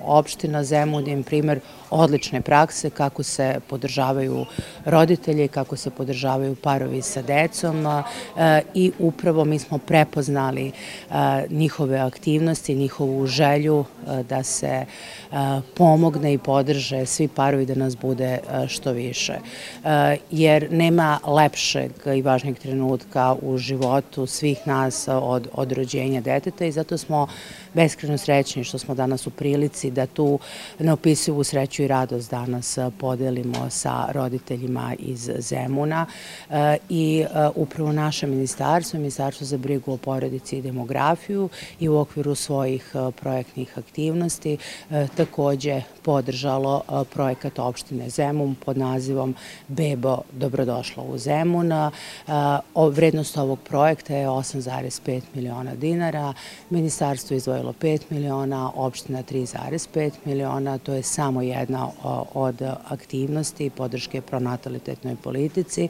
opština Zemun je primer odlične prakse kako se podržavaju roditelji, kako se podržavaju parovi sa decom i upravo mi smo prepoznali njihove aktivnosti, njihovu želju da se pomogne i podrže svi parovi da nas bude što više. Jer nema lepšeg i važnijeg trenutka u životu svih nas od rođenja deteta i zato smo beskrajno srećni što smo danas u prilici da tu neopisivu sreću i radost danas podelimo sa roditeljima iz Zemuna i upravo naše ministarstvo, Ministarstvo za brigu o porodici i demografiju i u okviru svojih projektnih aktivnosti takođe podržalo projekat opštine Zemun pod nazivom Bebo, dobrodošla u Zemun. Vrednost ovog projekta je 8,5 miliona dinara, ministarstvo je izdvojilo 5 miliona, opština 3,5 miliona, to je samo jedna od aktivnosti podrške pronatalitetnoj politici.